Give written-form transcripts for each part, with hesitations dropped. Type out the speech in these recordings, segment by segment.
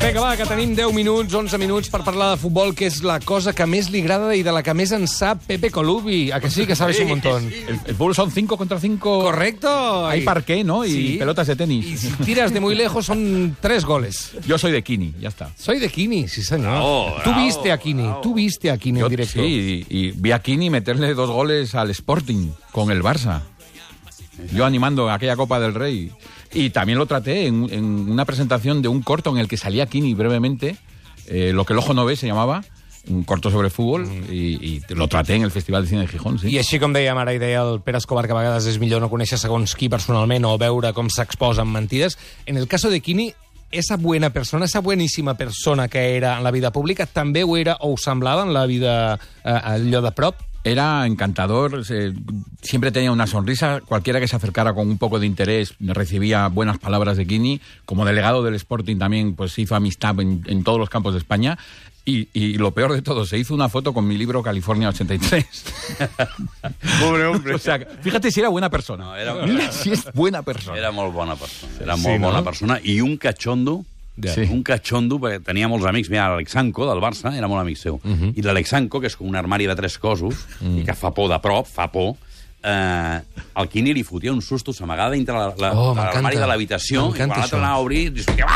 Vinga, va, que tenim 10 minuts, 11 minuts per parlar de futbol, que és la cosa que més li agrada i de la que més en sap Pepe Colubi. ¿A que sí? Que sabes un montón. El fútbol son 5 contra 5. Correcto. Hay parqué, ¿no? Y sí. Pelotas de tenis. Y si tiras de muy lejos son 3 goles. Yo soy de Kini, ya está. Soy de Kini, sí señor. Bravo, Tú bravo, viste a Kini, bravo. tú viste a Kini en directo. Sí, y vi a Kini meterle 2 goles al Sporting con el Barça. Yo animando aquella Copa del Rey. Y también lo traté en una presentación de un corto en el que salía Kini brevemente, Lo que el ojo no ve se llamaba, un corto sobre fútbol, y lo traté en el Festival de Cine de Gijón, sí. I així com dèiem ara, i deia el Pere Escobar, que a vegades és millor no conèixer segons qui personalment o veure com s'exposa en mentides, en el caso de Kini, esa buena persona, esa buenísima persona que era en la vida pública, també ho era o ho semblava en la vida allò de prop? Era encantador, siempre tenía una sonrisa, cualquiera que se acercara con un poco de interés recibía buenas palabras de Kini, como delegado del Sporting también pues hizo amistad en todos los campos de España, y lo peor de todo, se hizo una foto con mi libro California 83. Pobre hombre. O sea, fíjate si era buena persona. No, Mira si es buena persona. Era molt bona persona. Era Sí, molt no? bona persona. I un catxondo, Sí. un catxondo, perquè tenia molts amics. Mira, l'Alexanco, del Barça, era molt amic seu. I l'Alexanco, que és com un armari de 3 cossos, i que fa por de prop, fa por, el Kini li fotia un susto, s'amagava dintre l'armari de l'habitació, i quan l'altre anava a obrir, li sortia...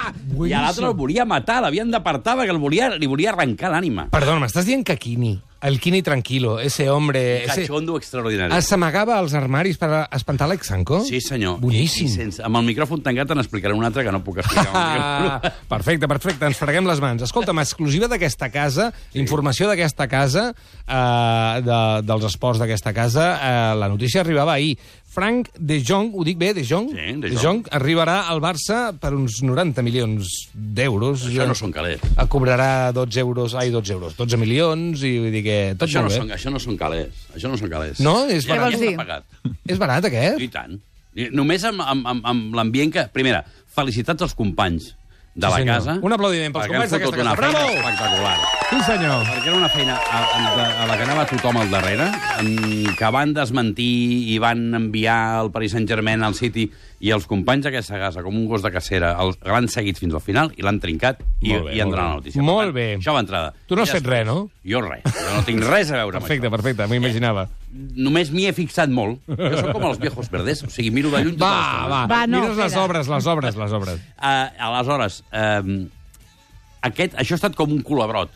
I a l'altre el volia matar, l'havien d'apartar, perquè li volia arrencar l'ànima. Perdona, m'estàs dient que Kini, el Kini tranquilo, ese hombre... Catxondo extraordinari. S'amagava als armaris per espantar l'Alexanco? Sí, senyor. Boníssim. I sense, amb el micròfon tancat te n'explicaré un altre que no puc explicar. Perfecte, perfecte, ens freguem les mans. Escolta'm, exclusiva d'aquesta casa, informació d'aquesta casa, dels esports d'aquesta casa, la notícia arribava ahir. Frank de Jong, ho dic bé, de Jong? Sí, de Jong arribarà al Barça per uns 90 milions d'euros. Això no són calés. Cobrarà 12 milions, i vull dir que tot Això molt bé. això no són calés. Això no són calés. No? És Ja barat. està pagat. És barat, aquest? I tant. I només amb l'ambient que... Primera, felicitats als companys de la senyor. casa. Un aplaudiment pels perquè han companys d'aquesta fotut una casa. feina Bravo! espectacular. Sí, senyor. Perquè era una feina a la que anava tothom al darrere, que van desmentir i van enviar el Paris Saint-Germain al City, i els companys d'aquesta casa, com un gos de cacera, l'han seguit fins al final i l'han trincat i han donat la notícia. Molt bé. Això va entrada. Tu no has fet res, no? Jo res. Jo no tinc res a veure amb Perfecte, això. perfecte, m'ho imaginava. Només m'hi he fixat molt. Jo soc com els viejos verdes, o sigui, miro de lluny tota l'estona. Va, no, mires les espera. obres. Aleshores, això ha estat com un culebrot.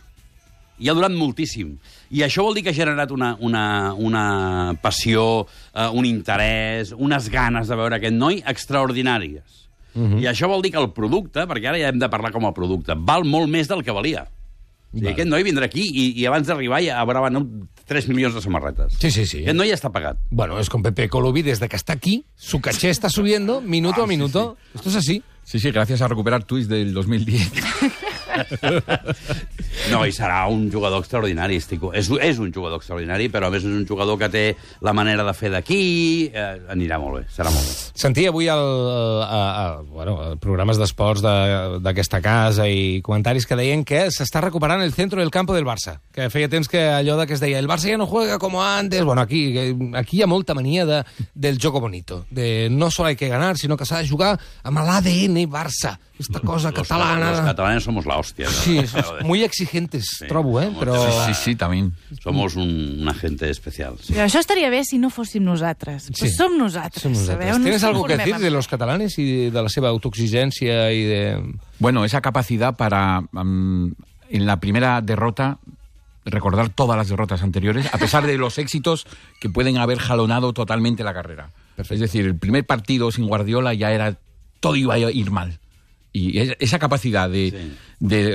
I ha durat moltíssim. I això vol dir que ha generat una passió, un interès, unes ganes de veure aquest noi extraordinàries. I això vol dir que el producte, perquè ara ja hem de parlar com a producte, val molt més del que valia. O sigui, aquest noi vindrà aquí i abans d'arribar ja haurà venut 3 milions de samarretes. Sí, sí, sí. Aquest noi ja està pagat. Bueno, es con Pepe Colubi, desde que está aquí, su caché está subiendo minuto a minuto. Esto es así. Sí, sí, gracias a recuperar tweets del 2010. No, i serà un jugador extraordinari. És un jugador extraordinari, però a més és un jugador que té la manera de fer d'aquí. Anirà molt bé, serà molt bé. Sentia avui programes d'esports d'aquesta casa i comentaris que deien que s'està recuperant el centro del campo del Barça. Que feia temps que allò que es deia el Barça ja no juega como antes. Bueno, aquí hi ha molta mania del jogo bonito. De no solo hay que ganar, sino que s'ha de jugar amb l'ADN Barça. Esta cosa catalana. Los catalanes somos la hostia. Sí, muy exigentes, trobo, però... Sí, también. Somos una gente especial. Sí. Però això estaria bé si no fóssim nosaltres. Sí. Pues som nosaltres. Sabeu? No ¿Tienes ens algo que conformem decir amb de los catalanes y de la seva autoexigencia y de...? Bueno, esa capacidad para, en la primera derrota, recordar todas las derrotas anteriores, a pesar de los éxitos que pueden haber jalonado totalmente la carrera. Perfecto. Es decir, el primer partido sin Guardiola ya era... todo iba a ir mal. Y esa capacidad de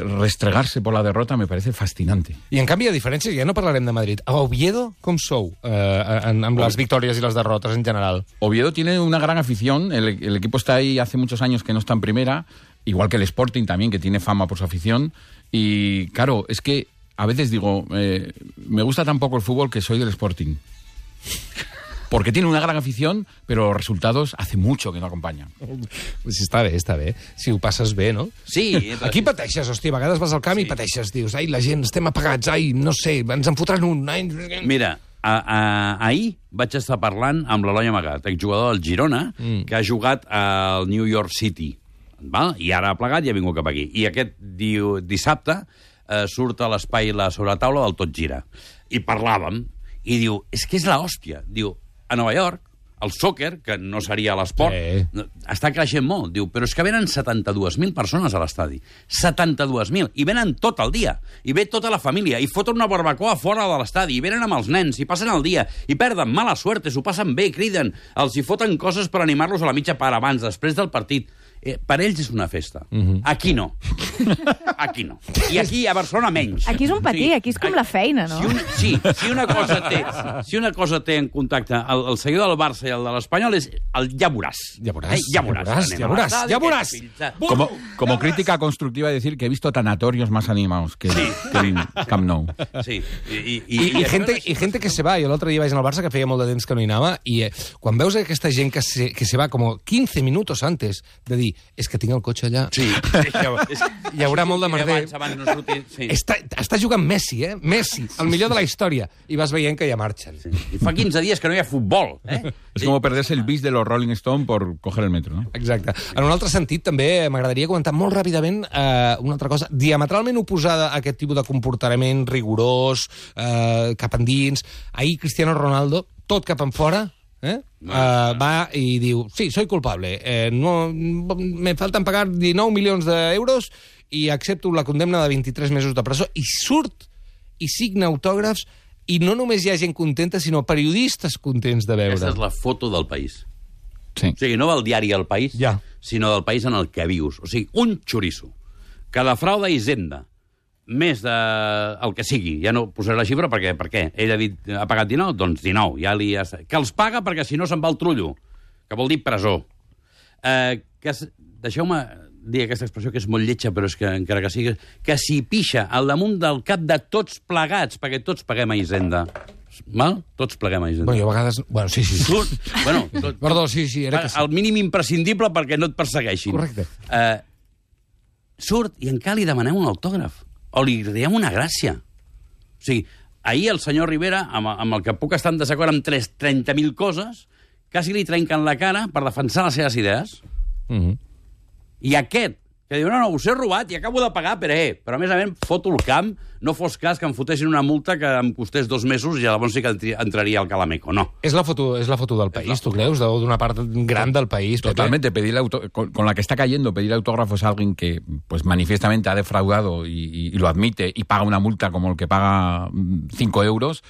restregarse por la derrota me parece fascinante. I en canvi, a diferència, ja no parlarem de Madrid. A Oviedo, com sou amb les victòries i les derrotes en general? Oviedo tiene una gran afición. El equipo está ahí hace muchos años que no está en primera, igual que el Sporting también, que tiene fama por su afición. Y claro, es que a veces digo, me gusta tan poco el fútbol que soy del Sporting. Porque tiene una gran afición, però els resultados hace mucho que no acompanya. Pues està bé. Si ho passes bé, no? Sí. Aquí pateixes, hòstia, a vegades vas al camp i pateixes. Dius, ai, la gent, estem apagats, ai, no sé, ens en fotran un. Ai... Mira, ahir vaig estar parlant amb l'Eloi Amagat, exjugador del Girona, que ha jugat al New York City, Val? I ara ha plegat i ha vingut cap aquí. I aquest dissabte surt a l'espai la sobretaula del Tot Gira. I parlàvem, i diu, és que és l'hòstia. Diu, a Nova York, el sòquer, que no seria l'esport, està creixent molt. Diu, però és que venen 72.000 persones a l'estadi. 72.000. I venen tot el dia. I ve tota la família. I foten una barbacoa fora de l'estadi. I venen amb els nens. I passen el dia. I perden mala suerte. S'ho passen bé, criden. Els hi foten coses per animar-los a la mitja part abans, després del partit. Per ells és una festa. Aquí no. Aquí no. I aquí, a Barcelona, menys. Aquí és un patí, aquí és com la feina, no? Si una cosa té en contacte el seguidor del Barça i el de l'Espanyol és el ja veuràs. Ya verás. Como crítica constructiva decir que he visto tanatorios más animados que el Camp Nou. Sí. I gente que se va. Jo l'altre dia vaig anar al Barça, que feia molt de temps que no hi anava, i quan veus aquesta gent que se va com 15 minutos antes de dir, és que tinc el cotxe allà, hi haurà molt de merder. Abans no sortir, sí. Està jugant Messi, Messi, el millor de la història, i vas veient que ja marxen. Sí. I fa 15 dies que no hi ha futbol. Es como perderse el bis de los Rolling Stone por coger el metro, ¿no? Exacte. En un altre sentit, també m'agradaria comentar molt ràpidament una altra cosa, diametralment oposada a aquest tipus de comportament rigorós, cap endins. Ahir Cristiano Ronaldo, tot cap enfora, va i diu, sí, soy culpable, me faltan pagar 19 milions d'euros i accepto la condemna de 23 mesos de presó, i surt i signa autògrafs, i no només hi ha gent contenta, sinó periodistes contents de veure. Aquesta és la foto del país. Sí. O sigui, no del diari El País, sinó del país en el que vius. O sigui, un xoriço que defrauda Hisenda més el que sigui. Ja no posaré la xifra perquè, per què? Ell ha dit, ha pagat 19? Doncs 19. Que els paga perquè si no se'n va al trullo, que vol dir presó. Deixeu-me dir aquesta expressió que és molt lletja, però és que encara que sigui, que s'hi pixa al damunt del cap de tots plegats, perquè tots paguem a Hisenda. Val? Tots pleguem a Hisenda. Bueno, jo a vegades... Bueno, sí. Perdó, sí, era que sí. El mínim imprescindible perquè no et persegueixin. Correcte. Surt i encara li demanem un autògraf. O li diem una gràcia. O sigui, ahir el senyor Rivera, amb el que puc estar en desacord amb 30.000 coses, quasi li trenquen la cara per defensar les seves idees. I aquest, que diu, no, us he robat i acabo de pagar, però a més a més foto el camp, no fos cas que em fotessin una multa que em costés 2 mesos i llavors sí que entraria al Calameco, no. És la foto del país, tu creus? D'una part gran del país. Totalmente, con la que está cayendo, pedir autógrafos a alguien que pues manifiestamente ha defraudado y lo admite y paga una multa como el que paga 5 euros.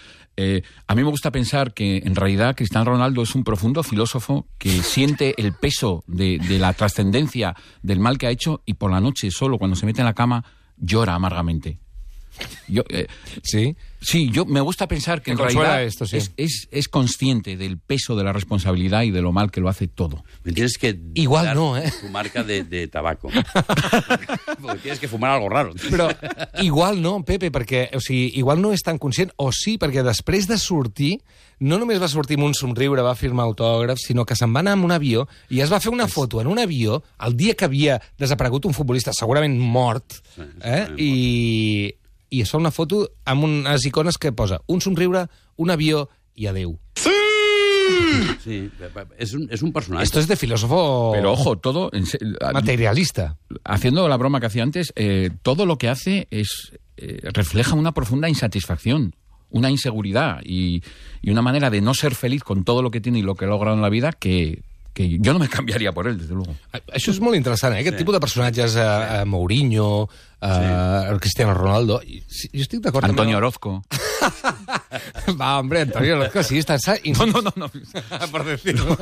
A mí me gusta pensar que en realidad Cristiano Ronaldo es un profundo filósofo que siente el peso de la trascendencia del mal que ha hecho y por la noche solo cuando se mete en la cama llora amargamente. Sí, yo me gusta pensar que en realidad esto, sí. es consciente del peso de la responsabilidad y de lo mal que lo hace todo. Me tienes que igual no, tu marca de tabaco. Porque tienes que fumar algo raro. Però igual no, Pepe, perquè igual no és tan conscient, o sí, perquè després de sortir, no només va sortir amb un somriure, va firmar autògrafs, sinó que se'n va anar amb un avió i es va fer una foto en un avió el dia que havia desaparegut un futbolista segurament mort, i es fa una foto amb unes icones que posa un somriure, un avió i adeu. Sí, es un personaje. Esto es de filósofo... Pero ojo, todo... materialista. Haciendo la broma que hacía antes, todo lo que hace refleja una profunda insatisfacción, una inseguridad y una manera de no ser feliz con todo lo que tiene y lo que ha logrado en la vida que jo no me canviaria por él, desde luego. Això és molt interessant, Aquest tipus de personatges, Mourinho, Cristiano Ronaldo... Jo estic d'acord... Antonio Orozco. Va, hombre, Antonio Orozco, sí, està... No. Per dir-ho.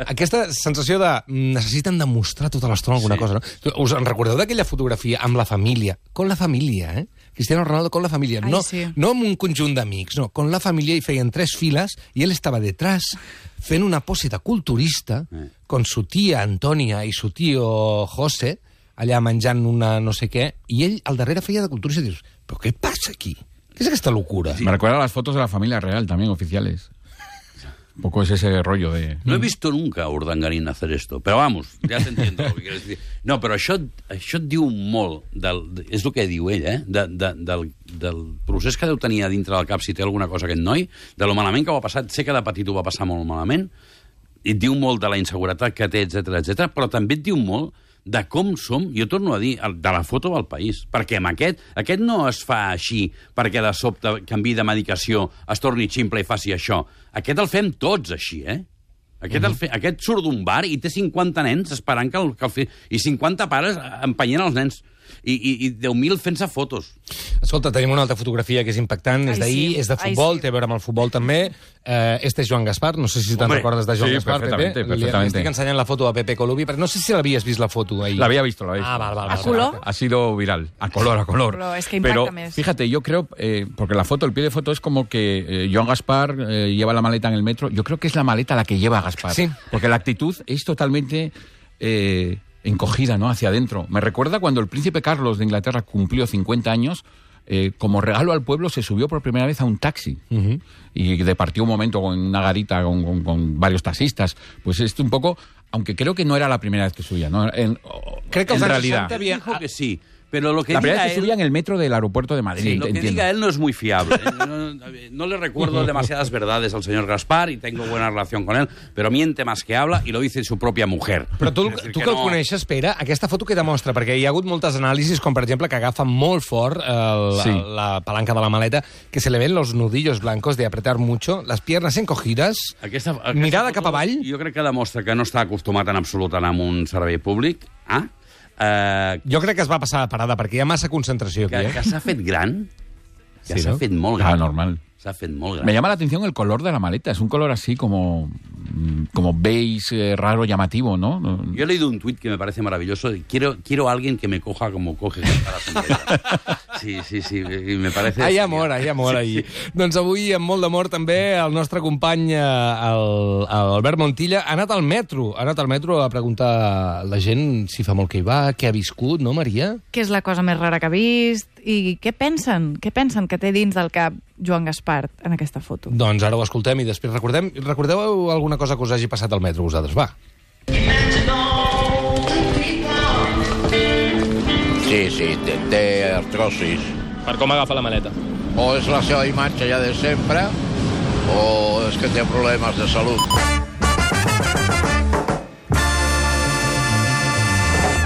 Aquesta sensació de... necessiten demostrar tota l'estona alguna cosa, no? Us en recordeu d'aquella fotografia amb la família? Con la família, Cristiano Ronaldo con la familia. No amb un conjunt d'amics, no. Con la família, i feien 3 files i ell estava detrás fent una pose de culturista con su tía Antonia i su tío José allà menjant una no sé què, i ell al darrere feia de culturista i dius, però què passa aquí? ¿Qué es esta locura? Sí. Me recuerda a las fotos de la familia real también, oficiales. Un poco es ese rollo de... No he visto nunca a Urdangarín hacer esto, pero vamos, ya te entiendo lo que quieres decir. No, però això et diu molt, és el que diu ell, del procés que deu tenir a dintre del cap si té alguna cosa aquest noi, de lo malament que ho ha passat, sé que de petit ho va passar molt malament, i et diu molt de la inseguretat que té, etc, però també et diu molt de com som, jo torno a dir, de la foto del país. Perquè amb aquest no es fa així perquè de sobte canvi de medicació, es torni ximple i faci això. Aquest el fem tots així, eh? Aquest surt d'un bar i té 50 nens esperant que el i 50 pares empenyent els nens. I 10.000 fent-se fotos. Escolta, tenim una altra fotografia que és impactant, és d'ahir, és de futbol, té a veure amb el futbol també. Este és Joan Gaspar, no sé si te'n recordes de Joan Gaspar, Pepe. Li estic ensenyant la foto a Pepe Colubi, però no sé si l'havies vist la foto ahir. La había visto. ¿A color? Ha sido viral, a color. Es que impacta pero más. Fíjate, yo creo, porque el pie de foto es como que Joan Gaspar lleva la maleta en el metro. Yo creo que es la maleta la que lleva a Gaspar. Sí. Porque la actitud es totalmente encogida, ¿no? Hacia adentro. Me recuerda cuando el príncipe Carlos de Inglaterra cumplió 50 años, como regalo al pueblo se subió por primera vez a un taxi y departió un momento con una garita con varios taxistas. Pues esto un poco, aunque creo que no era la primera vez que subía, ¿no? Creo que en realidad Dijo que sí. Pero lo que la primera diga vez que subía en el metro del aeropuerto de Madrid. Sí, lo que diga él no es muy fiable. No le recuerdo demasiadas verdades al señor Gaspar y tengo buena relación con él, pero miente más que habla y lo dice su propia mujer. Però tu que el coneixes, Pere, aquesta foto què demostra? Perquè hi ha hagut moltes anàlisis, com per exemple que agafa molt fort la palanca de la maleta, que se le ven los nudillos blancos de apretar mucho, las piernas encogidas, Aquesta mirada foto, cap avall. Jo crec que demostra que no està acostumat en absolut a anar amb un servei públic. Jo crec que es va passar a parada, perquè hi ha massa concentració aquí. Que s'ha fet gran. Que Sí, s'ha no? fet molt gran. Normal. S'ha fet molt gran. Me llama la atención el color de la maleta. Es un color así como beige, raro, llamativo, ¿no? Yo he leído un tuit que me parece maravilloso. Quiero a alguien que me coja como coge la sombrera. Sí, y me parece... Hi ha amor ahir. Doncs avui, amb molt d'amor, també, el nostre company, Albert Montilla, ha anat al metro a preguntar a la gent si fa molt que hi va, què ha viscut, no, Maria? Què és la cosa més rara que ha vist? I què pensen? Què pensen que té dins del cap Joan Gaspar en aquesta foto? Doncs ara ho escoltem i després recordeu alguna cosa que us hagi passat al metro, vosaltres? Va. Sí, té artrosis. Per com agafa la maleta? O és la seva imatge ja de sempre, o és que té problemes de salut.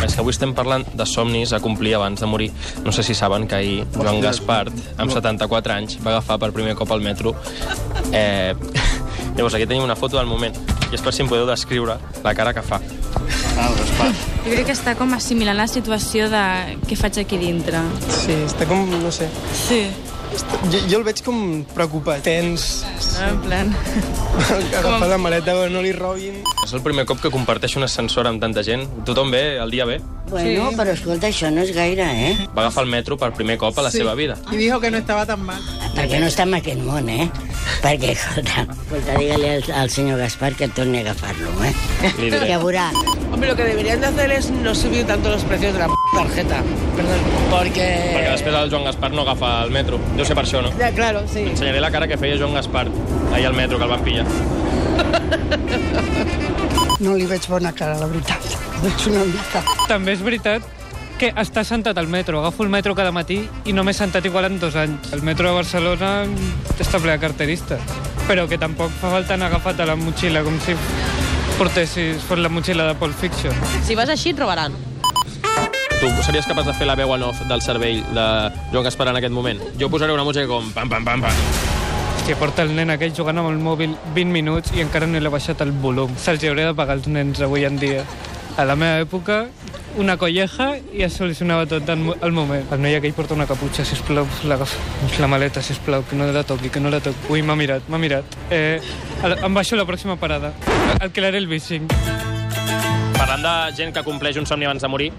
És que avui estem parlant de somnis a complir abans de morir. No sé si saben que ahir Joan Gaspar, amb 74 anys, va agafar per primer cop al metro. Llavors, aquí tenim una foto del moment. I és per si em podeu descriure la cara que fa. Jo crec que està com assimilant la situació de què faig aquí dintre. Sí, està com, no sé... Sí. Jo el veig com preocupat, tens... En plan... Agafar la maleta, no li robin... És el primer cop que comparteix un ascensor amb tanta gent. Tothom bé, el dia bé. Bueno, sí. Però escolta, això no és gaire, eh? Va agafar el metro per primer cop a la seva vida. I dijo que no estava tan mal. Perquè no està en aquest món, eh? Perquè, escolta, digue-li al senyor Gaspar que torni a agafar-lo, eh? Li diré. Que veurà. Hombre, lo que deberían de hacer es no subir tanto los precios de la tarjeta. Perdón, Perquè porque... després el Joan Gaspar no agafa el metro. Deu ser per això, no? Ya, claro, sí. Ensenyaré la cara que feia Joan Gaspar ahir al metro, que el van pillar. No li veig bona cara, la veritat. Veig una mica. També és veritat que està sentat al metro. Agafo el metro cada matí i no m'he sentat igual en 2 anys. El metro de Barcelona està ple de carteristes. Però que tampoc fa falta anar agafat a la motxilla, com si fos la motxilla de Pulp Fiction. Si vas així, et robaran. Tu series capaç de fer la veu en off del cervell de Joan Gaspar en aquest moment? Jo posaré una música com pam, pam, pam, pam. Hòstia, porta el nen aquell jugant amb el mòbil 20 minuts i encara no li ha baixat el volum. Se'ls hauria de pagar els nens avui en dia. A la meva època, una colleja i es solucionava tot al moment. El noi aquell porta una caputxa, sisplau, la maleta, sisplau, que no la toqui, que no la toqui. Ui, m'ha mirat. Em baixo a la pròxima parada. Alquilaré el bishing. Parlant de gent que compleix un somni abans de morir,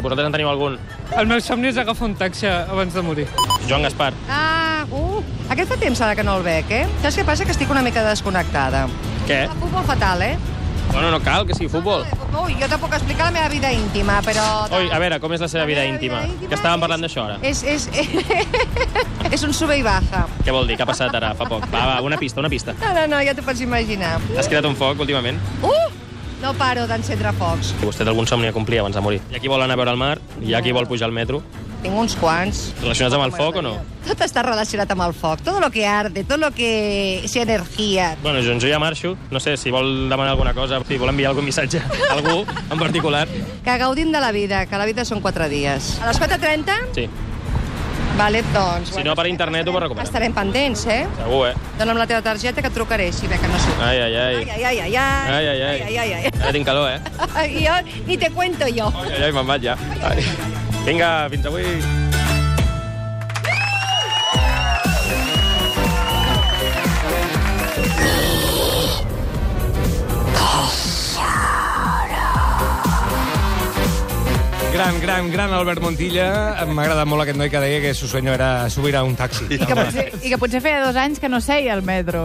vosaltres en teniu algun? El meu somni és agafar un taxi abans de morir. Joan Gaspar. Aquest fa temps ara que no el veig, eh? Saps què passa? Que estic una mica desconnectada. Què? El futbol fatal, eh? Bueno, no cal que sigui futbol. Ui, jo te puc explicar la meva vida íntima, però... Oi, a veure, com és la seva vida íntima? Que estàvem parlant d'això, ara. És un sube i baja. Què vol dir? Què ha passat ara, fa poc? Va, una pista. No, ja t'ho pots imaginar. Has creat un foc, últimament? No paro d'encendre focs. Vostè té algun somni a complir abans de morir. Hi ha qui vol anar a veure el mar, hi ha qui vol pujar al metro. Tinc uns quants. Relacionats amb el foc o no? Tot està relacionat amb el foc. Tot lo que arde, tot lo que... si energia. Bueno, jo ja marxo. No sé, si vol demanar alguna cosa, si vol enviar algun missatge a algú en particular. Que gaudim de la vida, que la vida són 4 dies. A les 4:30? Sí. Vale, doncs... Si no, per internet ho pot recuperar. Estarem pendents, eh? Segur, Dóna'm la teva targeta que et trucaré, si ve que no sé. Ai, ai, ai. Ai, ai, ai, ai, ai. Ai, ai, ai. Ai, ai, ai. Ara tinc calor, I jo ni te cuento jo. Ai, ai, me'n vaig ja. Ai. Vinga, fins avui. Gran Albert Montilla. M'ha agradat molt aquest noi que deia que su sueño era subir a un taxi. I que potser feia 2 anys que no seia al metro.